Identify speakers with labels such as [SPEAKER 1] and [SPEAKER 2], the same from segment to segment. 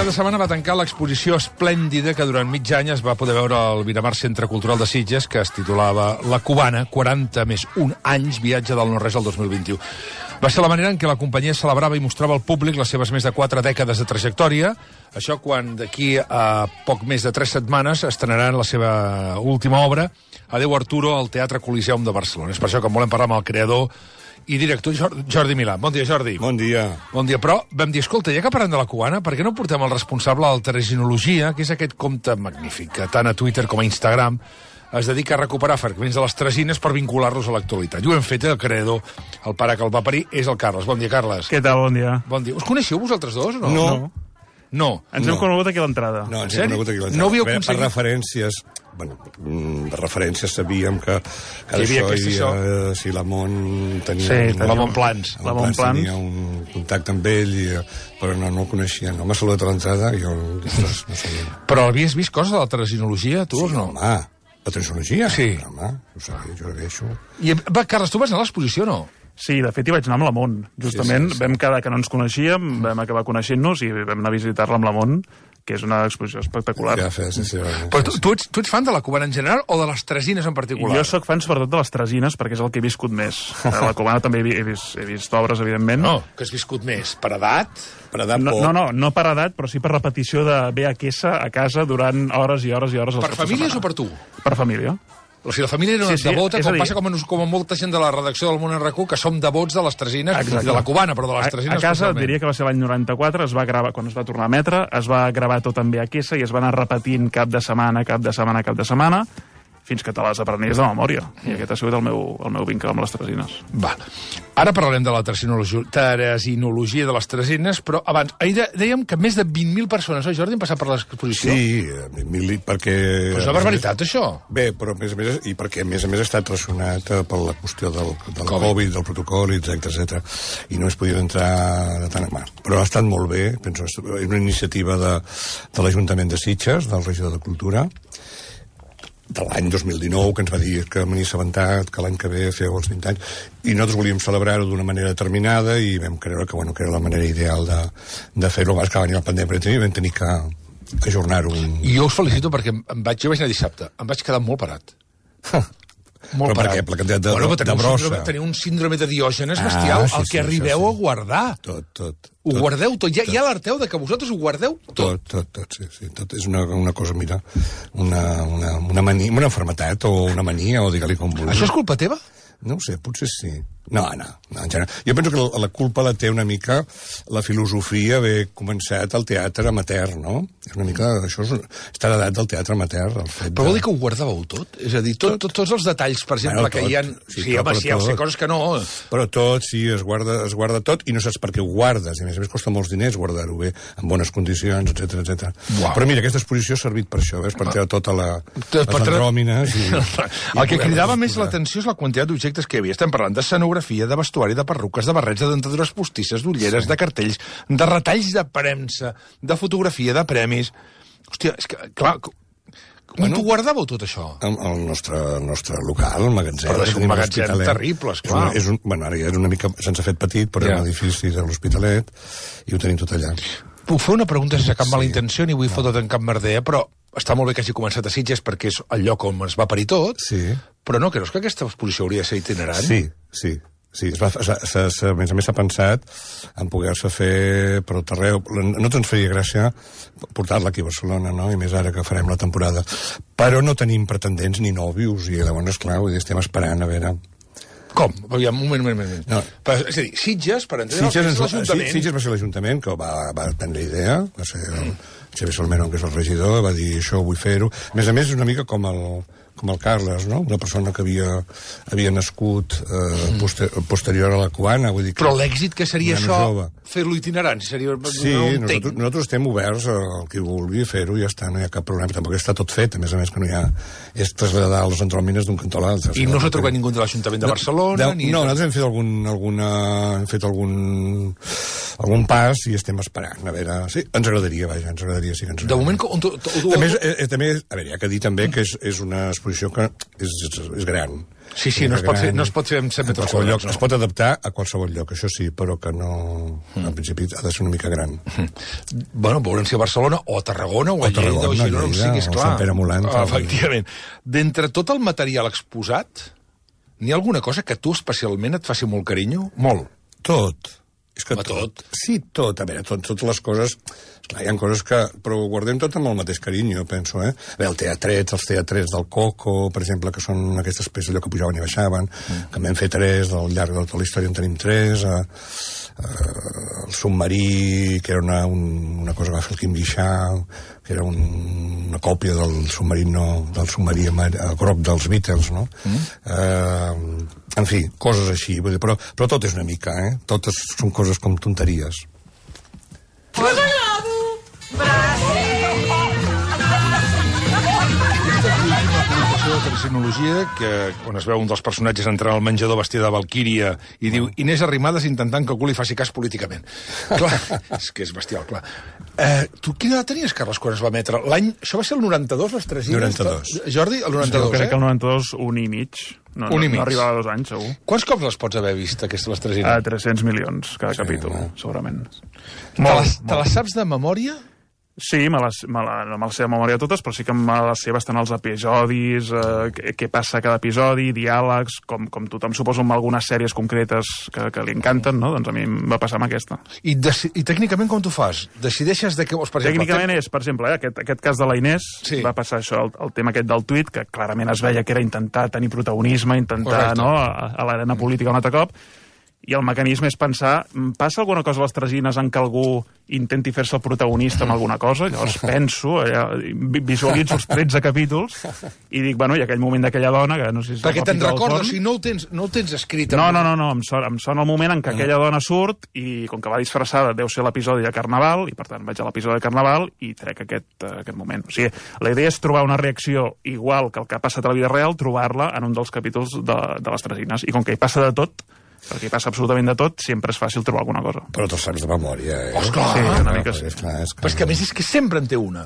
[SPEAKER 1] cap de setmana va tancar l'exposició esplèndida que durant mig any es va poder veure al Miramar Centre Cultural de Sitges, que es titulava La Cubana, 40 més 1 anys, viatge del no-res al 2021. Va ser la manera en què la companyia celebrava i mostrava al públic les seves més de 4 dècades de trajectòria. Això quan d'aquí a poc més de 3 setmanes estrenaran la seva última obra, Adeu Arturo, al Teatre Coliseum de Barcelona. És per això que en volem parlar amb el creador i director Jordi Milà. Bon dia, Jordi.
[SPEAKER 2] Bon dia.
[SPEAKER 1] Bon dia, però vam dir, escolta, ja que parlem de La Cubana, per què no portem el responsable de la Tresinologia, que és aquest compte magnífic, que tant a Twitter com a Instagram es dedica a recuperar fragments de les tresines per vincular-los a l'actualitat. I ho hem fet, el creador, el pare que el va parir, és el Carles. Bon dia, Carles.
[SPEAKER 3] Què tal, bon dia.
[SPEAKER 1] Bon dia. Us coneixeu vosaltres dos o no?
[SPEAKER 2] No.
[SPEAKER 1] No.
[SPEAKER 3] Ens hem conegut aquí a l'entrada.
[SPEAKER 2] No, ens hem conegut aquí a l'entrada.
[SPEAKER 1] No havíeu aconseguit...
[SPEAKER 2] Per referències... Bueno, per referències sabíem que
[SPEAKER 1] havia
[SPEAKER 2] això si l'Amon tenia...
[SPEAKER 3] Sí,
[SPEAKER 1] l'Amon Plans.
[SPEAKER 3] L'Amon Plans
[SPEAKER 2] tenia un contacte amb ell, però no el coneixia. No m'ha saludat a l'entrada i jo no sabia.
[SPEAKER 1] Però havies vist coses de la Tresinologia, tu, o no?
[SPEAKER 2] Home, la Tresinologia?
[SPEAKER 1] Sí.
[SPEAKER 2] Home, ho sabia, jo la veig.
[SPEAKER 1] I, va, Carles, tu vas anar a l'exposició, no?
[SPEAKER 3] Sí, de fet hi vaig anar amb l'Amon. Justament
[SPEAKER 2] Sí.
[SPEAKER 3] vam quedar que no ens coneixíem, vam acabar coneixent-nos i vam anar a visitar-la amb l'Amon, que és una exposició espectacular.
[SPEAKER 2] Ja fes, sí.
[SPEAKER 1] Però tu ets fan de La Cubana en general o de les tresines en particular?
[SPEAKER 3] Jo sóc fan sobretot de les tresines, perquè és el que he viscut més. A la Cubana també he vist obres, evidentment.
[SPEAKER 1] No, que has viscut més. Per edat?
[SPEAKER 2] Per edat
[SPEAKER 3] No,
[SPEAKER 2] poc.
[SPEAKER 3] no per edat, però sí per repetició de VHS a casa durant hores i hores i hores.
[SPEAKER 1] Per famílies o per tu?
[SPEAKER 3] Per família.
[SPEAKER 1] O sigui, la família era una
[SPEAKER 3] Sí,
[SPEAKER 1] devota,
[SPEAKER 3] és a
[SPEAKER 1] com
[SPEAKER 3] dir-
[SPEAKER 1] passa com a molta gent de la redacció del Món en RAC1, que som devots de les tresines,
[SPEAKER 3] Exacte.
[SPEAKER 1] i de La Cubana, però de les tresines
[SPEAKER 3] A casa
[SPEAKER 1] especialment.
[SPEAKER 3] diria que va ser l'any 94, es va gravar, quan es va tornar a emetre, es va gravar tot en VHS i es va anar repetint cap de setmana, fins que te les aprenies de memòria. I aquest ha sigut el meu vincle amb les tresines.
[SPEAKER 1] Va. Ara parlarem de la tresinologia de les tresines, però abans, ahir dèiem que més de 20.000 persones, oi, Jordi, han passat per l'exposició?
[SPEAKER 2] Sí, perquè...
[SPEAKER 1] Però és una barbaritat, això.
[SPEAKER 2] Bé, però a més, i perquè a més ha estat relacionat per la qüestió del Covid, del protocol, etc. I no es podia entrar de tant a mà. Però ha estat molt bé, penso, és una iniciativa de l'Ajuntament de Sitges, del regidor de Cultura, de l'any 2019, que ens va dir que m'hi assabentat, que l'any que ve feu els 20 anys, i nosaltres volíem celebrar-ho d'una manera determinada i vam creure que era la manera ideal de fer-ho. Abans que va venir la pandèmia i vam tenir que ajornar-ho.
[SPEAKER 1] I jo us felicito perquè jo vaig anar dissabte, em vaig quedar molt parat.
[SPEAKER 2] Molt parat. Per què? Per la quantitat de brossa.
[SPEAKER 1] Teniu un síndrome de Diògenes bestial, el que arribeu a guardar.
[SPEAKER 2] Tot.
[SPEAKER 1] Ho guardeu tot. Ja alerteu de que vosaltres ho guardeu tot.
[SPEAKER 2] Tot, sí. Tot és una cosa, mira, una mania, una malaltia o una mania, o digue-li com vulguis.
[SPEAKER 1] Això és culpa teva?
[SPEAKER 2] No ho sé, potser sí. No, en general. Jo penso que la culpa la té una mica la filosofia haver començat al teatre amateur, no? És una mica... Això està heredat del teatre amateur, el fet
[SPEAKER 1] Però vol dir que ho guardàveu tot? És a dir, tots els detalls, per exemple, que hi ha... Sí, home, sí, sé coses que no...
[SPEAKER 2] Però tot, sí, es guarda tot i no saps per què ho guardes. I a més costa molts diners guardar-ho bé, en bones condicions, etc. Però mira, aquesta exposició ha servit per això, ves? Per treure tota les andròmines...
[SPEAKER 1] El que cridava més l'atenció és la quantitat d'objectes que hi havia. Estem parlant d'escenografia, de vestuari, de perruques, de barrets, de dentadures postisses, d'ulleres, de cartells, de retalls de premsa, de fotografia, de premis... Hòstia, és que, clar... On t'ho guardàveu, tot això?
[SPEAKER 2] El nostre local, el magatzem.
[SPEAKER 1] Però és un magatzem terrible, esclar.
[SPEAKER 2] Ara ja és una mica... Se'ns ha fet petit, però és un edifici de l'Hospitalet i ho tenim tot allà.
[SPEAKER 1] Puc fer una pregunta sense cap mala intenció, ni vull fotre't en cap merder, però està molt bé que hagi començat a Sitges perquè és el lloc on es va parir tot, però no creus que aquesta exposició hauria de ser itinerant?
[SPEAKER 2] Sí. A més s'ha pensat en poder-se fer per tot arreu. No ens faria gràcia portar-la aquí a Barcelona, no? I més ara que farem la temporada. Però no tenim pretendents ni nòvios, i llavors, esclar, estem esperant a veure...
[SPEAKER 1] Com? Aviam, un moment.
[SPEAKER 2] No.
[SPEAKER 1] És a dir, Sitges, per entendre,
[SPEAKER 2] Sitges va ser l'Ajuntament que va prendre idea, va ser el Xavier Salmerón, que és el regidor, va dir això, vull fer-ho. A més, és una mica com el Carles, no? Una persona que havia nascut posterior a la Cubana, vull dir que...
[SPEAKER 1] Però l'èxit que seria això, fer-lo itinerant, seria...
[SPEAKER 2] Sí, nosaltres estem oberts al que vulgui fer-ho, ja està, no hi ha cap problema. Tampoc està tot fet, a més que no hi ha... És traslladar les andròmines d'un cantó a l'altre.
[SPEAKER 1] I no s'ha trobat ningú de l'Ajuntament de Barcelona?
[SPEAKER 2] No, nosaltres hem fet algun pas i estem esperant. A veure, sí, ens agradaria, vaja, sí que ens agradaria.
[SPEAKER 1] De moment,
[SPEAKER 2] també, a veure, hi ha que dir també que és una exposició que és gran.
[SPEAKER 1] Sí, no es pot fer en 100 metres quadrats.
[SPEAKER 2] Es pot adaptar a qualsevol lloc, això sí, però que no... En principi ha de ser una mica gran.
[SPEAKER 1] Bueno, veurem si a Barcelona, o a Tarragona, o a Lleida, o a Girona, o sigui, esclar.
[SPEAKER 2] O Sant Pere Molant.
[SPEAKER 1] Efectivament. D'entre tot el material exposat, n'hi ha alguna cosa que tu especialment et faci molt carinyo? Molt.
[SPEAKER 2] Tot. És que
[SPEAKER 1] tot.
[SPEAKER 2] Sí, tot. A veure, totes les coses... Esclar, hi ha coses que... Però ho guardem tot amb el mateix carinyo, penso, eh? A veure, els teatrets del Coco, per exemple, que són aquestes peces allò que pujaven i baixaven, que en vam fer 3, al llarg de tota la història en tenim 3, el submarí, que era una cosa que va fer el Quim Guixart, que era una còpia del submarí groc dels Beatles, no? En fi, coses així, però tot és una mica, eh? Totes són coses com tonteries.
[SPEAKER 1] De tercinologia, on es veu un dels personatges entrant al menjador vestida de Valquíria i diu Inés Arrimadas intentant que algú li faci cas políticament. Clar, és que és bestial, clar. Tu quina edat tenies, Carles, quan es va emetre? Això va ser el 92, les Tresines?
[SPEAKER 2] 92.
[SPEAKER 1] Jordi, el 92,
[SPEAKER 3] crec que el 92, un i mig. No arribava a 2 anys, segur.
[SPEAKER 1] Quants cops les pots haver vist, aquestes, les Tresines?
[SPEAKER 3] 300 milions, cada capítol, segurament.
[SPEAKER 1] Te les saps de memòria?
[SPEAKER 3] Sí, no me les sé de memòria totes, però sí que me les sé bastant els episodis, què passa a cada episodi, diàlegs, com tothom suposo amb algunes sèries concretes que li encanten, no? Doncs a mi em va passar amb aquesta.
[SPEAKER 1] I tècnicament com t'ho fas? Decideixes de què vols, per exemple?
[SPEAKER 3] Tècnicament és, per exemple, aquest cas de la Inés, va passar això, el tema aquest del tuit, que clarament es veia que era intentar tenir protagonisme, intentar, no, a l'arena política un altre cop, i el mecanisme és pensar, passa alguna cosa a les Tresines en què algú intenti fer-se el protagonista amb alguna cosa? Llavors penso, visualitzo els 13 capítols i dic, bueno, i aquell moment d'aquella dona, que no sé si...
[SPEAKER 1] Perquè te'n recordes, si no ho tens escrit...
[SPEAKER 3] No, em sona el moment en què aquella dona surt i com que va disfressada deu ser l'episodi de Carnaval, i per tant vaig a l'episodi de Carnaval i trec aquest moment. O sigui, la idea és trobar una reacció igual que el que ha passat a la vida real, trobar-la en un dels capítols de les Tresines. I com que hi passa de tot, perquè hi passa absolutament de tot, sempre és fàcil trobar alguna cosa.
[SPEAKER 2] Però te'l saps de memòria, eh?
[SPEAKER 1] Esclar!
[SPEAKER 3] Sí, una mica sí.
[SPEAKER 1] Però és que a més és que sempre en té una.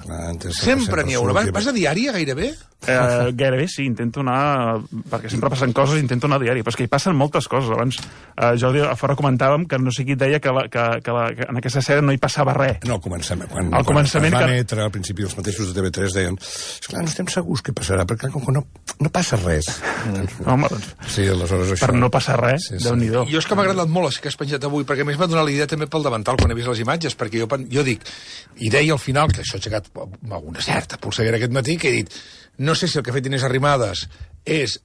[SPEAKER 1] Sempre n'hi ha una. Vas a diària, gairebé?
[SPEAKER 3] Gairebé sí, intento anar... Perquè sempre passen coses, intento anar a diari. Però és que hi passen moltes coses. Abans, Jordi, a fora comentàvem que no sé qui et deia que en aquesta sèrie no hi passava res.
[SPEAKER 2] No, al començament. Quan va emetre, al principi, els mateixos de TV3 deien esclar, no estem segurs què passarà, perquè no passa res.
[SPEAKER 3] Home, doncs...
[SPEAKER 2] Sí, aleshores això...
[SPEAKER 3] Per no passar res, Déu-n'hi-do.
[SPEAKER 1] Jo és que m'ha agradat molt això que has penjat avui, perquè a més m'ha donat la idea també pel davantal quan he vist les imatges, perquè jo dic, i deia al final, que això ha aixecat una certa polseguera aquest matí, que he dit, no sé si el que ha fet Inés Arrimadas és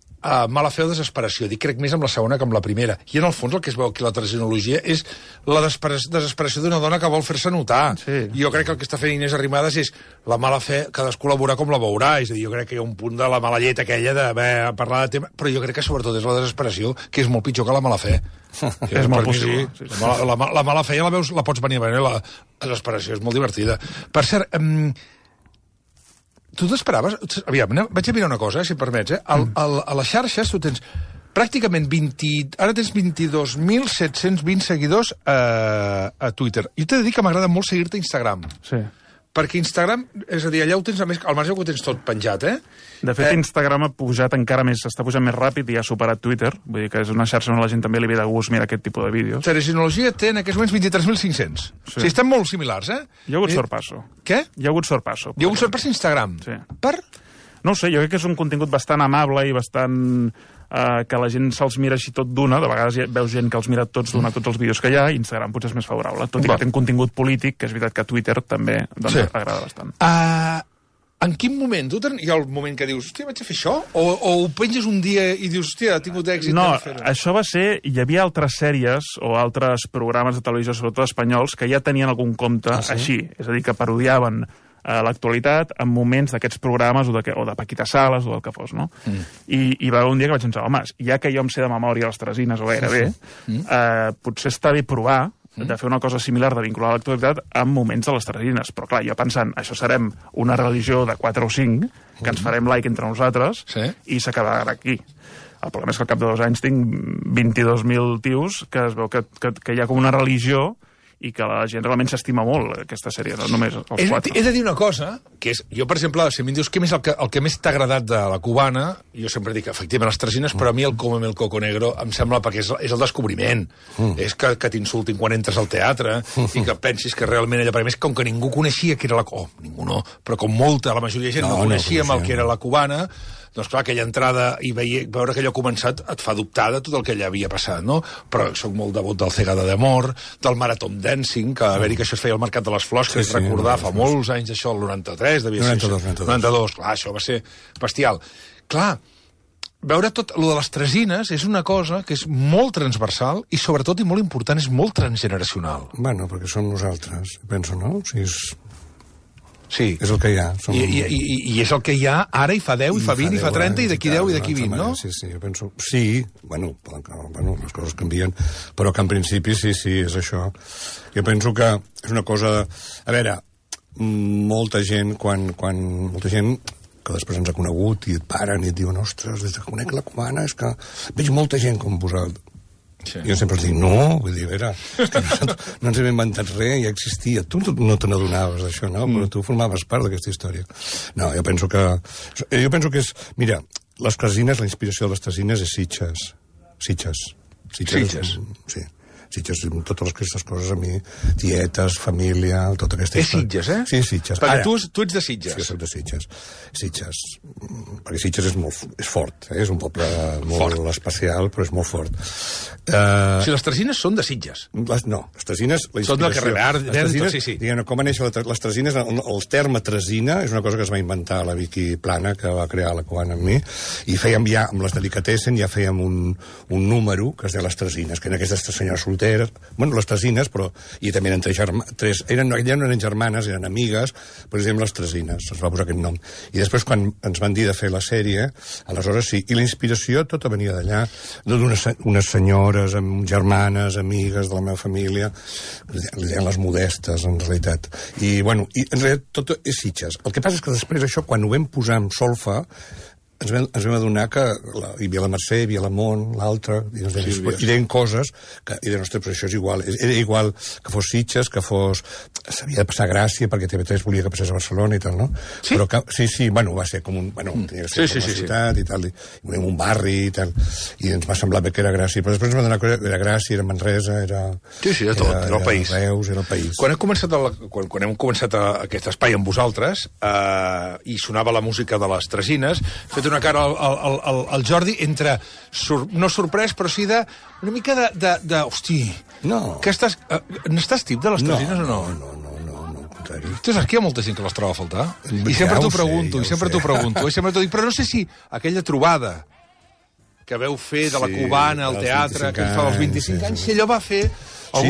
[SPEAKER 1] mala fe o desesperació. Dic, crec més amb la segona que amb la primera. I en el fons el que es veu aquí la tercinologia és la desesperació d'una dona que vol fer-se notar.
[SPEAKER 3] Sí.
[SPEAKER 1] Jo crec que el que està fent Inés Arrimadas és la mala fe, cadascú la veurà com la veurà. És a dir, jo crec que hi ha un punt de la mala llet aquella d'haver parlat de tema, però jo crec que sobretot és la desesperació, que és molt pitjor que la mala fe.
[SPEAKER 3] És molt possible.
[SPEAKER 1] Sí. La mala fe ja la veus, la pots venir a veure, la desesperació és molt divertida. Per cert, tu t'esperaves... Aviam, vaig a mirar una cosa, si em permets, a les xarxes tu tens pràcticament ara tens 22.720 seguidors a Twitter. Jo t'he de dir que m'agrada molt seguir-te a Instagram.
[SPEAKER 3] Sí.
[SPEAKER 1] Perquè Instagram, és a dir, allà ho tens, al marge ho tens tot penjat, eh?
[SPEAKER 3] De fet, Instagram ha pujat encara més, està pujant més ràpid i ha superat Twitter. Vull dir que és una xarxa on la gent també li ve de gust mirar aquest tipus de vídeos.
[SPEAKER 1] Tercinologia té en aquests moments 23.500. Sí. O sigui, estan molt similars, eh?
[SPEAKER 3] Hi ha hagut sorpasso.
[SPEAKER 1] Què?
[SPEAKER 3] Hi ha hagut sorpasso.
[SPEAKER 1] Hi ha hagut sorpasso a Instagram?
[SPEAKER 3] Sí.
[SPEAKER 1] Per?
[SPEAKER 3] No ho sé, jo crec que és un contingut bastant amable i bastant... que la gent se'ls mira així tot d'una, de vegades veus gent que els mira tots d'una, tots els vídeos que hi ha, i Instagram potser és més favorable, tot i que té un contingut polític, que és veritat que Twitter també agrada bastant.
[SPEAKER 1] En quin moment? Tu hi ha el moment que dius, hòstia, vaig a fer això? O ho penges un dia i dius, hòstia, ha tingut èxit?
[SPEAKER 3] No, això va ser... Hi havia altres sèries o altres programes de televisió, sobretot espanyols, que ja tenien algun compte així, és a dir, que parodiaven l'actualitat en moments d'aquests programes o de Paquita Salas o del que fos, no? I va haver un dia que vaig pensar, home, ja que jo em sé de memòria les Tresines o gairebé, potser està bé provar de fer una cosa similar, de vincular l'actualitat en moments de les Tresines. Però clar, jo pensant, això serem una religió de 4 o 5, que ens farem like entre nosaltres, i s'acabarà aquí. El problema és que al cap de 2 anys tinc 22.000 tios que es veu que hi ha com una religió i que la gent realment s'estima molt, aquesta sèrie, no només els 4.
[SPEAKER 1] He de dir una cosa, que és, jo, per exemple, si em dius què és el que més t'ha agradat de la cubana, jo sempre dic, efectivament, les tresines, però a mi el Cómeme el Coco Negro em sembla, perquè és el descobriment. És que t'insultin quan entres al teatre i que pensis que realment ella, perquè més, com que ningú coneixia que era la... Oh, ningú no, però com molta, la majoria de gent no coneixíem el que era la cubana, doncs clar, aquella entrada i veure que allò ha començat et fa dubtar de tot el que allà havia passat, no? Però soc molt devot del Cegada d'Amor, del Marathon Dancing, que a veure que això es feia al Mercat de les Flors, que és recordar fa molts anys això, el 93, devia ser 92, clar, això va ser bestial. Clar, veure tot lo de les tresines és una cosa que és molt transversal i sobretot i molt important, és molt transgeneracional.
[SPEAKER 2] Bueno, perquè som nosaltres, penso, no? O sigui,
[SPEAKER 1] sí.
[SPEAKER 2] És el que hi ha.
[SPEAKER 1] I és el que hi ha ara i fa 10, i fa 20, i fa 30, i d'aquí 10 i d'aquí 20, no?
[SPEAKER 2] Sí, jo penso... Sí, bueno, les coses canvien, però que en principi sí, és això. Jo penso que és una cosa... A veure, molta gent, molta gent que després ens ha conegut i et paren i et diuen, ostres, des que conec la cubana és que veig molta gent com vosaltres. Sí. Jo sempre els dic, no, vull dir, a veure, és que no ens hem inventat res, ja existia. Tu no te n'adonaves d'això, no? Però tu formaves part d'aquesta història. No, jo penso que és... Mira, les tresines, la inspiració de les tresines és Sitges. Sí. Sitges, totes aquestes coses a mi, tietes, família, tota aquesta història.
[SPEAKER 1] És Sitges, eh?
[SPEAKER 2] Sí, Sitges.
[SPEAKER 1] Perquè tu ets de Sitges.
[SPEAKER 2] Sí, jo soc de Sitges. Perquè Sitges és fort, és un poble molt especial, però és molt fort.
[SPEAKER 1] O sigui, les tresines són de Sitges.
[SPEAKER 2] No, les tresines...
[SPEAKER 1] Són del carrer Verd, sí.
[SPEAKER 2] Diguem, com va néixer les tresines, el terme tresina és una cosa que es va inventar la Vicky Plana, que va crear la cubana amb mi, i fèiem ja, amb les delicatessen, ja fèiem un número que es deia les tresines, que eren aquestes senyores solteres, bueno, les tresines, però i també eren ja no eren germanes, eren amigues, però es deien les tresines, es va posar aquest nom. I després, quan ens van dir de fer la sèrie, aleshores sí, i la inspiració tota venia d'allà, d'unes senyores, germanes, amigues de la meva família, li deien les modestes, en realitat. I, bueno, en realitat tot és Sitges. El que passa és que després això, quan ho vam posar amb solfa, ens vam adonar que hi havia la Mercè, hi havia la Mont, l'altra, i deien coses que, i deien, ostres, però això és igual. Era igual que fos Sitges, que fos... S'havia de passar Gràcia, perquè TV3 volia que passés a Barcelona i tal, no?
[SPEAKER 1] Sí?
[SPEAKER 2] Però sí, bueno, va ser com un... Bueno, tenia que ser com una ciutat i tal, i volíem un barri i tal, i ens va semblar bé que era Gràcia, però després ens va donar que era Gràcia, era Manresa, era...
[SPEAKER 1] Sí, de tot, era el país.
[SPEAKER 2] Reus, era el país.
[SPEAKER 1] Quan hem començat aquest espai amb vosaltres, i sonava la música de les tresines, fet una cara al Jordi entre, no sorprès, però sí una mica de hosti,
[SPEAKER 2] no.
[SPEAKER 1] Que n'estàs tip de les tresines o no?
[SPEAKER 2] No, al contrari.
[SPEAKER 1] Tu saps que hi ha molta gent que les troba a faltar? I sempre t'ho pregunto, i sempre t'ho dic, però no sé si aquella trobada que veu fer de la cubana al teatre, que fa els 25 anys, si allò va fer...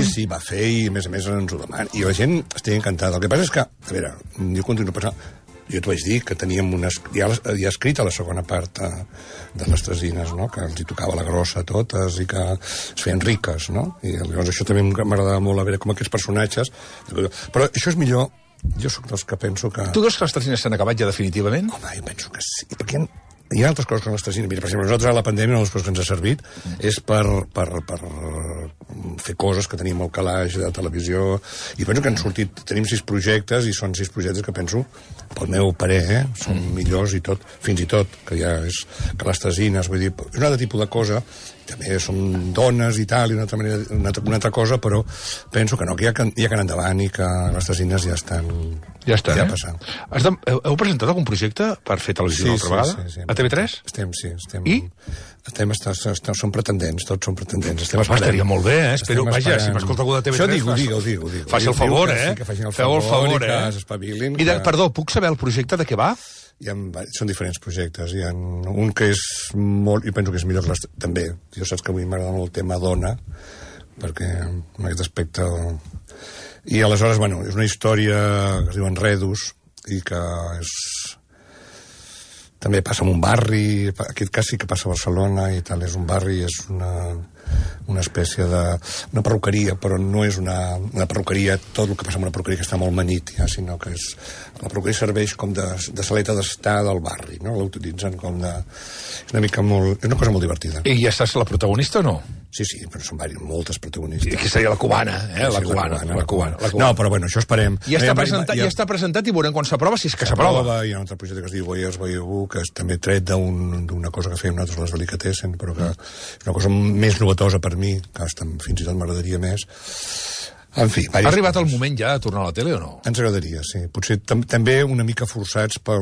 [SPEAKER 2] Sí, va fer, i a més ens ho demana. I la gent estigui encantada. El que passa és que, a veure, jo continuo pensant... Jo t'ho vaig dir que teníem ja escrita la segona part de les tresines, no? Que els hi tocava la grossa a totes i que es feien riques, no? I llavors això també m'agradava molt a veure com aquests personatges... Però això és millor... Jo sóc dels que penso que...
[SPEAKER 1] Tu creus que les tresines s'han acabat ja definitivament?
[SPEAKER 2] Home, jo penso que sí, perquè hi ha altres coses que les tresines... Mira, per exemple, nosaltres a la pandèmia una de les coses que ens ha servit és per fer coses que tenim al calaix de televisió, i penso que han sortit... Tenim 6 projectes, i són 6 projectes que penso, pel meu parer, són millors i tot, fins i tot, que ja és que les tresines, vull dir, és un altre tipus de cosa, també som dones i tal, i una altra cosa, però penso que no, que ja que anar endavant i que les tresines ja estan passant.
[SPEAKER 1] Heu presentat algun projecte per fer televisió una altra vegada?
[SPEAKER 2] Sí.
[SPEAKER 1] A TV3?
[SPEAKER 2] Estem.
[SPEAKER 1] I?
[SPEAKER 2] Som pretendents, tots som pretendents.
[SPEAKER 1] Estaria molt bé, espero, vaja, si m'escolta algú de TV3...
[SPEAKER 2] Això digue.
[SPEAKER 1] Faci el favor, Feu el favor,
[SPEAKER 2] que s'espavilin.
[SPEAKER 1] I, perdó, puc saber el projecte de què va?
[SPEAKER 2] Són diferents projectes. Hi ha un que és molt... Jo penso que és millor que també. Jo saps que avui m'agrada molt el tema dona, perquè en aquest aspecte... I aleshores, bueno, és una història que es diu Enredos, i que és... També passa en un barri, aquest cas sí que passa a Barcelona i tal, és un barri, és una... una espècie de... una perruqueria, però no és una perruqueria, tot el que passa amb una perruqueria que està molt manyit, ja, sinó que és... La perruqueria serveix com de saleta d'estar del barri, no? L'utilitzen com de... És una mica molt... És una cosa molt divertida.
[SPEAKER 1] I ja estàs la protagonista o no?
[SPEAKER 2] Sí, però són moltes protagonistes.
[SPEAKER 1] I que seria la cubana,
[SPEAKER 2] La cubana. No, però bueno, això esperem.
[SPEAKER 1] Ja està presentat i veurem quan s'aprova, si és que s'aprova.
[SPEAKER 2] Hi ha un altre projecte que es diu Voyeurs Voyez-vous, que és també tret d'una cosa que fèiem nosaltres les Delicatessen, però que és una cosa més novetosa per mi, que fins i tot m'agradaria més. En fi...
[SPEAKER 1] Ha arribat el moment ja de tornar a la tele o no?
[SPEAKER 2] Ens agradaria, sí. Potser també una mica forçats per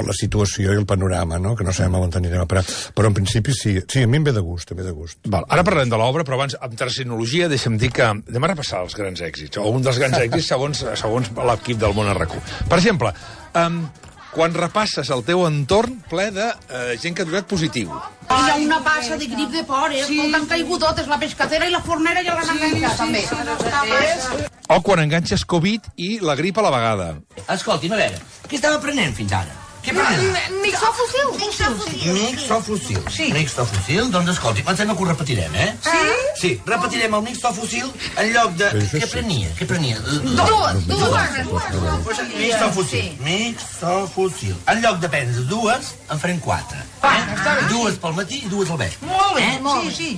[SPEAKER 2] la situació i el panorama, no? Que no sabem on anirem a parar. Però en principi sí, a mi em ve de gust,
[SPEAKER 1] Val. Ara parlem de l'obra, però abans, amb terminologia, deixa'm dir que anem a repassar els grans èxits, o un dels grans èxits segons l'equip del Món RQ. Per exemple, quan repasses el teu entorn ple de gent que ha donat positiu.
[SPEAKER 4] Hi ha una passa de grip de por, escolta, han caigut totes, la pescatera i la fornera ja l'han enganxat, també.
[SPEAKER 1] O quan enganxes Covid i la grip a la vegada.
[SPEAKER 5] Escolti'm, a veure, què estava prenent fins ara? Què prenent? Mixofossil. Sí. Mixofossil? Doncs escolti, pensem que ho repetirem, Sí? Sí, repetirem el mixofossil en lloc de... Què prenia? Dues. Mixofossil. En lloc de prendre dues, en farem 4. Dues pel matí i dues al vespre.
[SPEAKER 4] Molt bé, sí.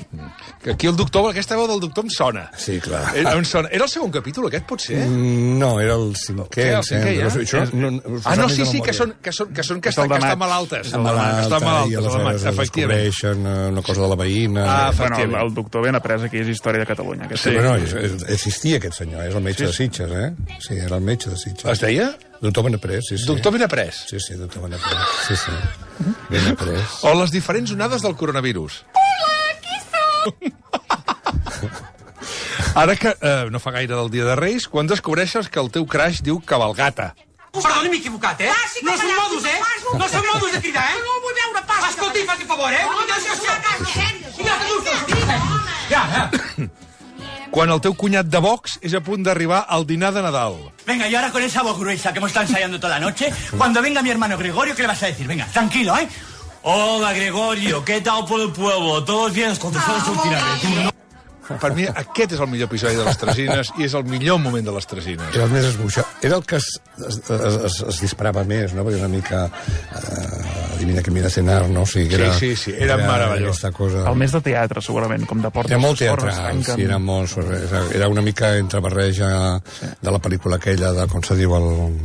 [SPEAKER 2] Aquí
[SPEAKER 1] el doctor, aquesta veu del doctor em sona.
[SPEAKER 2] Sí, clar.
[SPEAKER 1] Era el segon capítol, aquest, potser?
[SPEAKER 2] No, era el cinquè.
[SPEAKER 1] Sí, que estan malaltes.
[SPEAKER 2] Estan malaltes, i aleshores descobreixen una cosa de la veïna.
[SPEAKER 3] Bueno, el doctor ben après aquí és història de Catalunya.
[SPEAKER 2] Sí, però no, existia aquest senyor, és el metge de Sitges, Sí, era el metge de Sitges.
[SPEAKER 1] Es deia?
[SPEAKER 2] Doctor Benaprés, sí.
[SPEAKER 1] Doctor Benaprés?
[SPEAKER 2] Sí, doctor Benaprés, sí. Benaprés.
[SPEAKER 1] O les diferents onades del coronavirus.
[SPEAKER 4] Hola, aquí som!
[SPEAKER 1] Ara que no fa gaire del Dia de Reis, quan descobreixes que el teu crush diu cabalgata.
[SPEAKER 5] Perdoni, m'he equivocat, No són modus, No són modus de cridar,
[SPEAKER 4] No vull veure pas.
[SPEAKER 5] Escolti, faci favor,
[SPEAKER 1] Quan el teu cunyat de Vox és a punt d'arribar al dinar de Nadal.
[SPEAKER 5] Venga, y ahora con esa voz gruesa que hemos estado ensayando toda la noche, cuando venga mi hermano Gregorio, ¿qué le vas a decir? Venga, tranquilo, Hola, Gregorio, ¿qué tal por el pueblo? ¿Todos bien? Contestamos últimamente.
[SPEAKER 1] Per mi aquest és el millor episodi de les Tresines i és el millor moment de les Tresines.
[SPEAKER 2] Era el més esbuixat. Era el que es disparava més, no? Perquè una mica... Adivina que mira cenar, no? O sigui, era,
[SPEAKER 1] sí, era meravellós.
[SPEAKER 2] Cosa...
[SPEAKER 3] El més de teatre, segurament, com de portes.
[SPEAKER 2] Era molt teatral, sí, era molt... Era una mica entre barreja de la pel·lícula aquella de, com se diu, el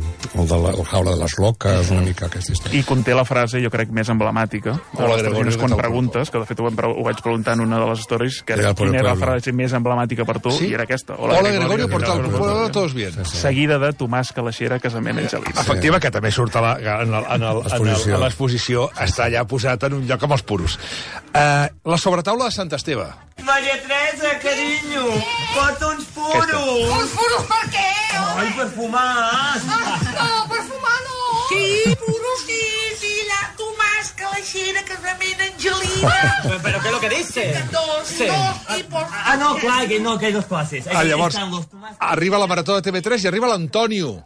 [SPEAKER 2] Jaula de les Loques, una mica aquesta història.
[SPEAKER 3] I conté la frase, jo crec, més emblemàtica de les Tresines quan preguntes, que de fet ho vaig preguntar en una de les stories, que era quina era la frase més emblemàtica per tu, i era aquesta.
[SPEAKER 1] Hola, Gregorio, portal pueblo, todos bien.
[SPEAKER 3] Seguida de Tomàs Calaixera, casament Angelina.
[SPEAKER 1] Efectiva, que també surt a l'exposició, està allà posat en un lloc amb els puros. La sobretaula de Sant Esteve.
[SPEAKER 5] Maria Teresa, carinyo, porta uns puros.
[SPEAKER 4] Uns puros per què?
[SPEAKER 5] Ai, perfumats.
[SPEAKER 4] No, perfumar no. Sí, puros sí, filla. Tomàs Calaixera, casament Angelina.
[SPEAKER 5] ¿Pero qué es lo que dice?
[SPEAKER 4] Dos tipos.
[SPEAKER 5] No, clar, que hay dos classes.
[SPEAKER 1] Llavors, arriba la marató de TV3 i arriba l'Antonio.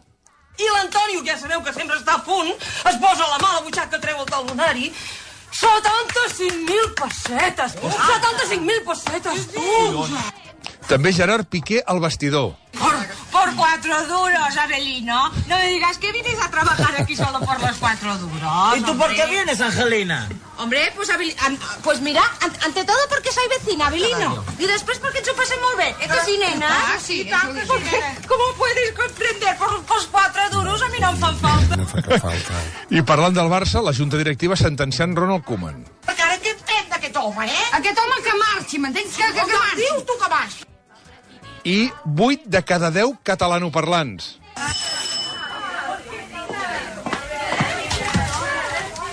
[SPEAKER 6] I l'Antonio, que ja sabeu que sempre està a punt, es posa la mà a la butxaca, treu el talonari. 75.000 pessetes! 75.000 pessetes, tu!
[SPEAKER 1] També Gerard Piqué al vestidor.
[SPEAKER 6] Por 4 duros, Avelino. No me digas que vienes a trabajar aquí solo por los 4 duros.
[SPEAKER 5] ¿Y tú por qué vienes, Angelina?
[SPEAKER 4] Hombre, pues mira, ante todo porque soy vecina, Avelino. Y después porque yo pasé muy bien. ¿Es que sí, nena?
[SPEAKER 6] Sí, ¿cómo puedes comprender? Por 4 duros a mi no em fan falta.
[SPEAKER 2] No fa cap falta.
[SPEAKER 1] I parlant del Barça, la Junta Directiva sentenciant Ronald Koeman.
[SPEAKER 4] Perquè ara què entén d'aquest home, Aquest home que marxi, m'entens? Que marxi. Dius tu que marxi.
[SPEAKER 1] I 8 de cada 10 catalanoparlants.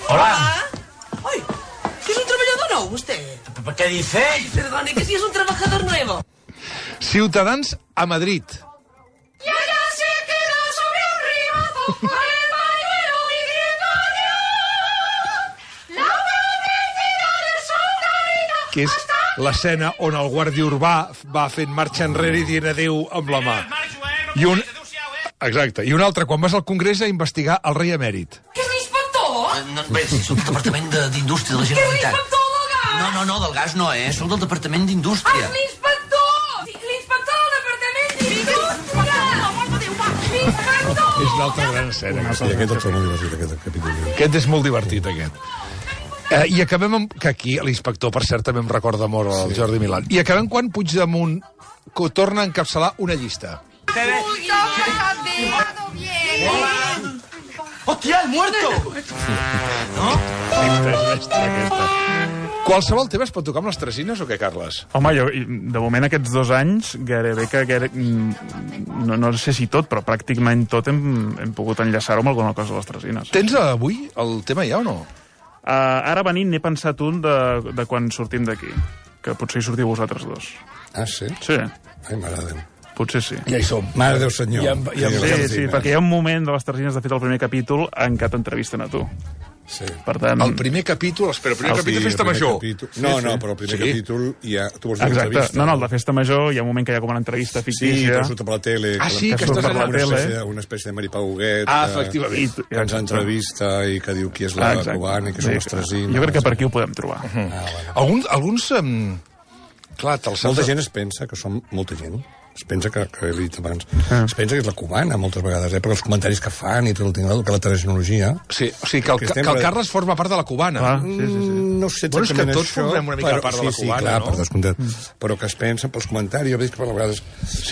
[SPEAKER 5] Hola.
[SPEAKER 6] Ay, ¿que es un trabajador nuevo usted?
[SPEAKER 5] ¿Qué dice?
[SPEAKER 6] Perdone, que sí es un trabajador nuevo.
[SPEAKER 1] Ciutadans a Madrid.
[SPEAKER 4] Y allá se quedó sobre un ribazo con el pañuelo diciendo adiós. La publicidad del soldadito.
[SPEAKER 1] Que és l'escena on el guàrdia urbà va fent marxa enrere i dient adéu amb la mà. Exacte. I un altre, quan vas al Congrés a investigar el rei emèrit.
[SPEAKER 6] Que és l'inspector?
[SPEAKER 5] Bé, és un departament d'Indústria de la Generalitat.
[SPEAKER 6] Que és l'inspector legal?
[SPEAKER 7] No, del gas no, Soc del Departament d'Indústria.
[SPEAKER 6] L'inspector! L'inspector del Departament d'Indústria! L'inspector!
[SPEAKER 1] És una altra gran escena.
[SPEAKER 2] Sí, aquest és molt divertit, aquest capítol.
[SPEAKER 1] Aquest és molt divertit, aquest. I acabem amb... Que aquí l'inspector, per cert, també em recorda molt el Jordi Milán. I acabem quan Puigdemont torna a encapçalar una llista.
[SPEAKER 7] ¡Hostia, el muerto!
[SPEAKER 1] Qualsevol tema es pot tocar amb les tresines o què, Carles?
[SPEAKER 3] Home, jo, de moment, aquests 2 anys, gairebé no sé si tot, però pràcticament tot hem pogut enllaçar-ho amb alguna cosa de les tresines.
[SPEAKER 1] Tens avui el tema ja o no?
[SPEAKER 3] Ara venint n'he pensat un de quan sortim d'aquí, que potser hi sortiu vosaltres 2.
[SPEAKER 2] Ah, sí?
[SPEAKER 3] Sí.
[SPEAKER 2] Ai, mare de Déu.
[SPEAKER 3] Potser sí.
[SPEAKER 1] Ja hi som.
[SPEAKER 2] Mare Déu, senyor.
[SPEAKER 3] Sí, perquè hi ha un moment de les tresines, de fet, el primer capítol, en què t'entrevisten a tu.
[SPEAKER 2] Sí.
[SPEAKER 3] Per tant...
[SPEAKER 1] El primer capítol, espera, el primer capítol de Festa Major.
[SPEAKER 2] No, però el primer capítol ja... Tu vols dir
[SPEAKER 3] exacte. No, el de Festa Major hi ha un moment que hi ha com una entrevista fictícia.
[SPEAKER 2] Sí, surt per la tele.
[SPEAKER 1] Sí, que
[SPEAKER 3] surt per la tele.
[SPEAKER 2] Una espècie de Maripà Huguet.
[SPEAKER 1] Efectivament.
[SPEAKER 2] Que ens entrevista i que diu qui és la cubana i que són les tresines.
[SPEAKER 3] Jo crec que per aquí ho podem trobar.
[SPEAKER 1] Alguns... Clar,
[SPEAKER 2] molta gent es pensa que som molta gent. Es pensa que he dit abans, es pensa que és la cubana moltes vegades, perquè els comentaris que fan i tot el tingut, que la tecnologia...
[SPEAKER 1] Sí, o sigui, que el Carles forma part de la cubana.
[SPEAKER 2] No sé exactament
[SPEAKER 1] això. És que tots formem una mica part de la cubana,
[SPEAKER 2] clar, per descomptat. Però que es pensa pels comentaris, jo veig que per vegades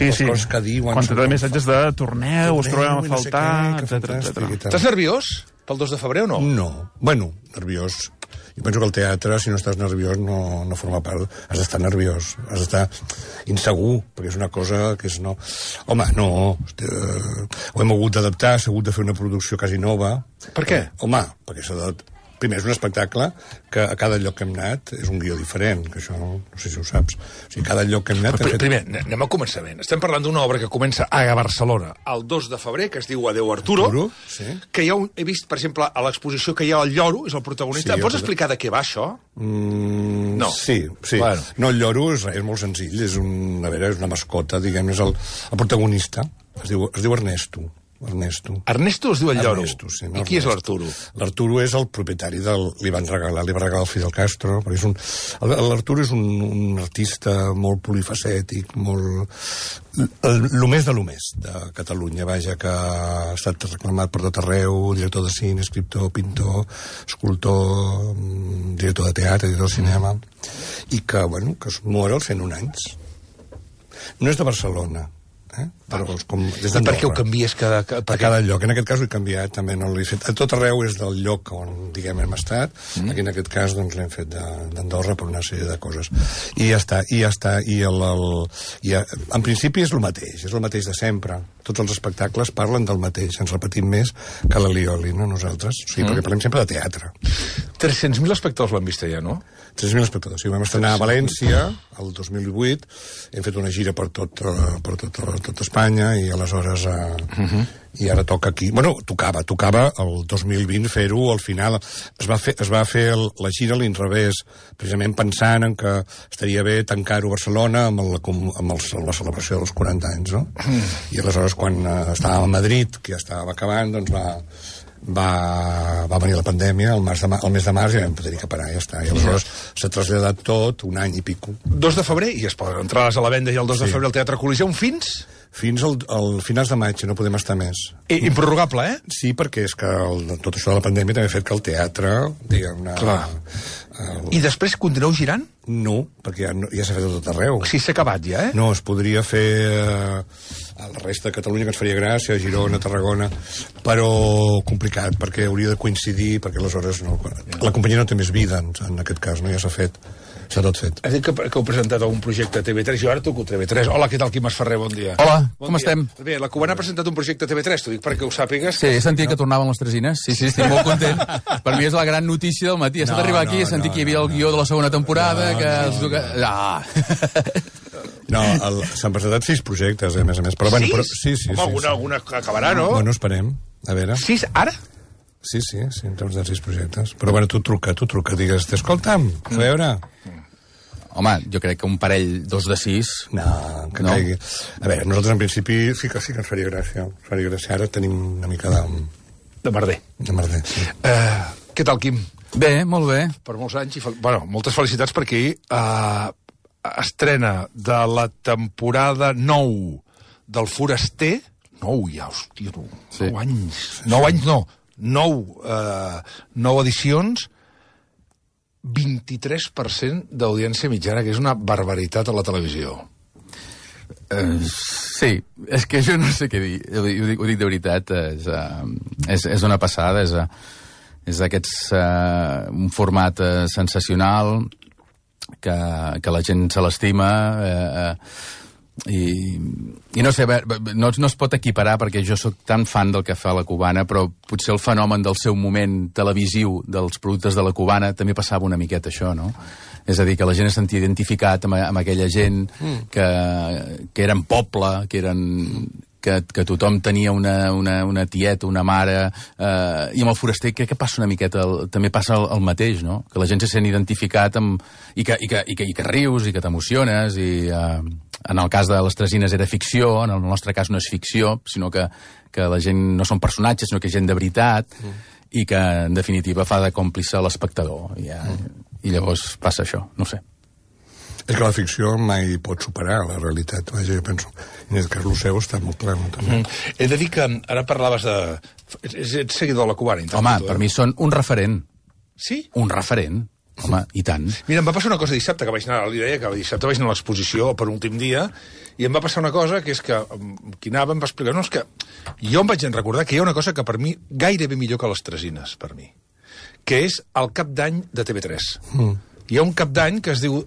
[SPEAKER 2] les coses que diuen...
[SPEAKER 3] Quantitat de missatges de torneu, us trobem a faltar, etc.
[SPEAKER 1] Estàs nerviós pel 2 de febrer o no?
[SPEAKER 2] No. Bueno, nerviós. Jo penso que el teatre, si no estàs nerviós, no forma part. Has d'estar nerviós, has d'estar insegur, perquè és una cosa que és no... Home, no, ho hem hagut d'adaptar, s'ha hagut de fer una producció quasi nova.
[SPEAKER 1] Per què?
[SPEAKER 2] Home, perquè s'ha de... Primer, és un espectacle que a cada lloc que hem anat és un guió diferent, que això no sé si ho saps. O sigui, cada lloc que hem anat...
[SPEAKER 1] Primer, anem a començament. Estem parlant d'una obra que comença a Barcelona el 2 de febrer, que es diu Adéu Arturo, que he vist, per exemple, a l'exposició que hi ha el Lloro, és el protagonista. Pots explicar de què va, això?
[SPEAKER 2] No. Sí. Bueno. No, el Lloro és molt senzill, és una mascota, diguem, és el protagonista. Es diu Ernesto.
[SPEAKER 1] Ernesto es diu el Lloro.
[SPEAKER 2] Ernesto, sí,
[SPEAKER 1] I qui és l'Arturo? L'Arturo
[SPEAKER 2] és el propietari li va regalar el Fidel Castro. L'Arturo és un artista molt polifacètic, el més de Catalunya, vaja, que ha estat reclamat per tot arreu, director de cine, escriptor, pintor, escultor, director de teatre, director de cinema, i que es mor als 101 anys. No és de Barcelona, però des d'Andorra.
[SPEAKER 1] Per què ho canvies
[SPEAKER 2] a cada lloc? En aquest cas ho he canviat, també no l'he fet. A tot arreu és del lloc on, diguem, hem estat. Aquí, en aquest cas, doncs, l'hem fet d'Andorra per una sèrie de coses. I ja està. En principi és el mateix de sempre. Tots els espectacles parlen del mateix. Ens repetim més que l'Alioli, no nosaltres? O sigui, perquè parlem sempre de teatre.
[SPEAKER 1] 300.000 espectadors l'han vist ja, no?
[SPEAKER 2] 300.000 espectadors. Sí, vam estrenar a València el 2008, hem fet una gira per tot Espanya i aleshores i ara toca aquí. Bueno, tocava el 2020 fer-ho al final. Es va fer la gira a l'inrevés, precisament pensant en que estaria bé tancar-ho a Barcelona amb la celebració dels 40 anys, no? I aleshores quan estàvem a Madrid, que ja estava acabant, doncs va venir la pandèmia el mes de març i vam tenir que parar, ja està. I aleshores s'ha traslladat tot, un any i pico.
[SPEAKER 1] 2 de febrer, i es poden entrades a la venda i el 2 de febrer al Teatre Coliseum fins
[SPEAKER 2] al finals de maig, no podem estar més.
[SPEAKER 1] Improrrogable,
[SPEAKER 2] Sí, perquè és que tot això de la pandèmia també ha fet que el teatre, diguem-ne...
[SPEAKER 1] I després continueu girant?
[SPEAKER 2] No, perquè ja s'ha fet a tot arreu.
[SPEAKER 1] Sí, s'ha acabat ja,
[SPEAKER 2] No, es podria fer a la resta de Catalunya, que ens faria gràcia, a Girona, a Tarragona, però complicat, perquè hauria de coincidir, perquè aleshores la companyia no té més vida, en aquest cas, ja s'ha fet. S'ha tot fet.
[SPEAKER 1] Has dit que heu presentat algun projecte a TV3, jo ara toco TV3. Hola, què tal, Quim Esferrer? Bon dia.
[SPEAKER 8] Hola, com estem?
[SPEAKER 1] Bé, la Cubana ha presentat un projecte a TV3, t'ho dic perquè ho sàpigues.
[SPEAKER 8] Sí, he sentit que tornaven les tresines. Sí, estic molt content. Per mi és la gran notícia del matí. He estat arribar aquí i he sentit que hi havia el guió de la segona temporada,
[SPEAKER 2] s'han presentat 6 projectes, a més a més. Però, bueno, sí.
[SPEAKER 1] Home, alguna acabarà, no?
[SPEAKER 2] Bueno, esperem. A veure.
[SPEAKER 1] 6 ara?
[SPEAKER 2] Sí, en termes de 6 projectes. Però, bueno, tu truca, digues, escolta'm, a veure...
[SPEAKER 8] Home, jo crec que un parell, 2 de 6...
[SPEAKER 2] No, que caigui. A veure, nosaltres en principi sí que ens faria gràcia. Ara tenim una mica de...
[SPEAKER 1] De merder.
[SPEAKER 2] Sí.
[SPEAKER 1] Què tal, Quim?
[SPEAKER 8] Bé, molt bé.
[SPEAKER 1] Per molts anys. Moltes felicitats perquè estrena de la temporada 9 del Foraster. 9 ja, hòstia, 9 anys. 9 anys no, 9 edicions, 23% d'audiència mitjana, que és una barbaritat a la televisió.
[SPEAKER 8] Sí, és que jo no sé què dir. Ho dic de veritat, és una passada, és d'aquests un format sensacional que la gent se l'estima i no sé, no es pot equiparar perquè jo sóc tan fan del que fa la Cubana, però potser el fenomen del seu moment televisiu dels productes de la Cubana també passava una miqueta això, no? És a dir, que la gent es sentia identificat amb aquella gent que eren poble, que tothom tenia una tieta, una mare, i amb el Foraster crec que passa una miqueta, també passa el mateix, no? Que la gent se sent identificat i que rius i que t'emociones, i en el cas de les Tresines era ficció, en el nostre cas no és ficció, sinó que la gent no són personatges, sinó que és gent de veritat, i que en definitiva fa de còmplice a l'espectador, i llavors passa això, no ho sé.
[SPEAKER 2] És que la ficció mai pot superar la realitat, vaja, jo penso. I en el cas seu està molt clar, també.
[SPEAKER 1] He de dir que ara parlaves de... Ets seguidor de la Cubana.
[SPEAKER 8] Home, per mi són un referent.
[SPEAKER 1] Sí?
[SPEAKER 8] Un referent. Home, i tant.
[SPEAKER 1] Mira, em va passar una cosa dissabte, que vaig anar, li deia que dissabte vaig anar a l'exposició per últim dia, i em va passar una cosa, que és que qui anava em va explicar, no, és que jo em vaig recordar que hi ha una cosa que per mi gairebé millor que les Tresines, per mi, que és el cap d'any de TV3. Hi ha un cap d'any que es diu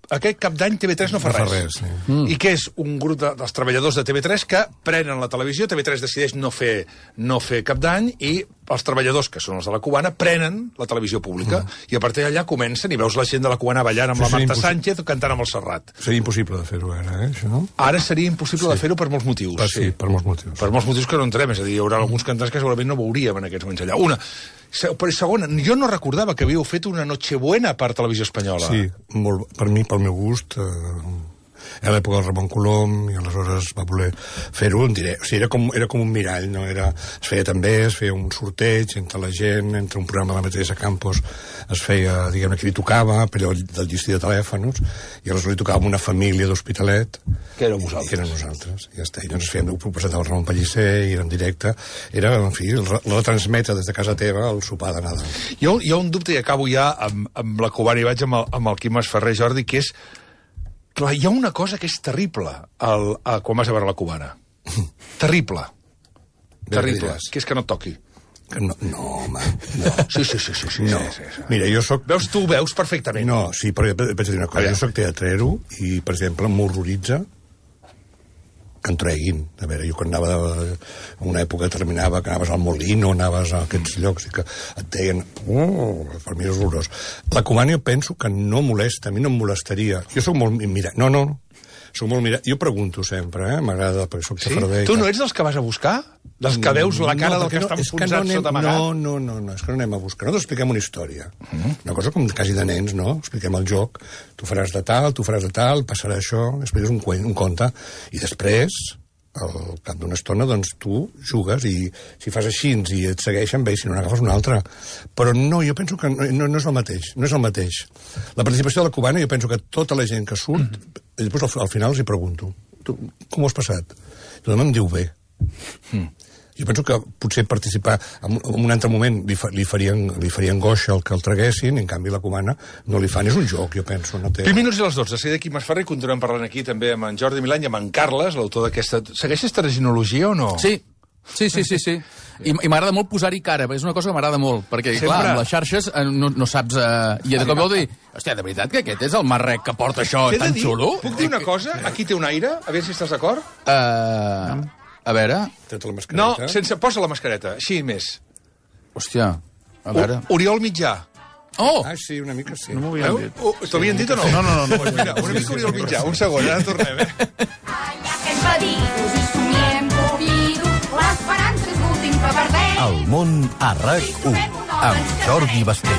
[SPEAKER 1] aquest cap d'any TV3 no fa res. I que és un grup dels treballadors de TV3 que prenen la televisió, TV3 decideix no fer cap d'any, i els treballadors, que són els de la Cubana, prenen la televisió pública, i a partir d'allà comencen, i veus la gent de la Cubana ballant amb la Marta Sánchez o cantant amb el Serrat.
[SPEAKER 2] Seria impossible de fer-ho ara, això, no?
[SPEAKER 1] Ara seria impossible de fer-ho per molts motius.
[SPEAKER 2] Sí, per molts motius.
[SPEAKER 1] Per molts motius que no entrem, és a dir, hi haurà alguns cantants que segurament no veuríem en aquests moments allà. Però segona, jo no recordava que havíeu fet una Nochebuena per Televisió Espanyola.
[SPEAKER 2] Sí, per mi, pel meu gust, a l'època del Ramon Colom, i aleshores va voler fer-ho en directe. O sigui, era com un mirall, no? Es feia també, es feia un sorteig entre la gent, entre un programa de la Teresa Campos, es feia, diguem-ne, que li tocava, per allò del llistí de telèfons, i aleshores li tocava una família d'Hospitalet.
[SPEAKER 1] Que éreu vosaltres.
[SPEAKER 2] Que eren nosaltres, ja està. I doncs ho presentava el Ramon Pellicer, i era en directe. Era, en fi, retransmetre des de casa teva el sopar de Nadal.
[SPEAKER 1] Hi ha un dubte, i acabo ja amb la Cubana, i vaig amb el Quim Masferrer, Jordi, que és... Clar, hi ha una cosa que és terrible quan vas a veure la Cubana. Terrible. Terrible. Que és que no et toqui.
[SPEAKER 2] No, home, no.
[SPEAKER 1] Sí.
[SPEAKER 2] No. Mira, jo soc...
[SPEAKER 1] Tu veus perfectament.
[SPEAKER 2] No, sí, però vaig dir una cosa. Jo soc teatrero i, per exemple, m'horroritza que en treguin. A veure, jo quan anava en una època terminava, que anaves al Molino, anaves a aquests llocs i que et deien... per mi és horrorós. La Cubana jo penso que no molesta, a mi no em molestaria. Jo soc molt... Mira, no. Soc molt mirat. Jo pregunto sempre, m'agrada, perquè soc xafarder.
[SPEAKER 1] Tu no ets dels que vas a buscar? Dels que veus la cara del que està enfonsat sota amagat?
[SPEAKER 2] No, és que no anem a buscar. Nosaltres expliquem una història. Una cosa com quasi de nens, no? Expliquem el joc. Tu faràs de tal, passarà això, després un conte. I després, al cap d'una estona, doncs tu jugues i si fas així i et segueixen, bé, si no n'agafes una altra. Però no, jo penso que no és el mateix. No és el mateix. La participació de la Cubana, jo penso que tota la gent que surt, després al final els hi pregunto, com ho has passat? I tothom em diu bé. Jo penso que potser participar en un altre moment li farien goixa el que el traguessin, i en canvi la Cubana no li fan. És un joc, jo penso.
[SPEAKER 1] 20 minuts i les 12. Seguida Quim Masferrer, i continuem parlant aquí també amb en Jordi Milany i amb en Carles, l'autor d'aquesta... Segueixes Terginologia o no?
[SPEAKER 8] Sí. I m'agrada molt posar-hi cara, és una cosa que m'agrada molt, perquè, clar, amb les xarxes no saps... I de cop vol dir, hòstia, de veritat que aquest és el marrec que porta això tan xulo?
[SPEAKER 1] Puc dir una cosa? Aquí té un aire, a veure si estàs d'acord.
[SPEAKER 8] A veure...
[SPEAKER 1] No, posa la mascareta, així més.
[SPEAKER 8] Hòstia, a veure...
[SPEAKER 1] Oriol Mitjà.
[SPEAKER 8] Oh!
[SPEAKER 2] Ah, sí, una mica sí.
[SPEAKER 3] No m'ho havien dit.
[SPEAKER 1] T'ho havien dit o no?
[SPEAKER 3] No.
[SPEAKER 1] Pues mira, una mica Oriol Mitjà, un segon, ara tornem,
[SPEAKER 9] El món a RAC1 amb Jordi Basté.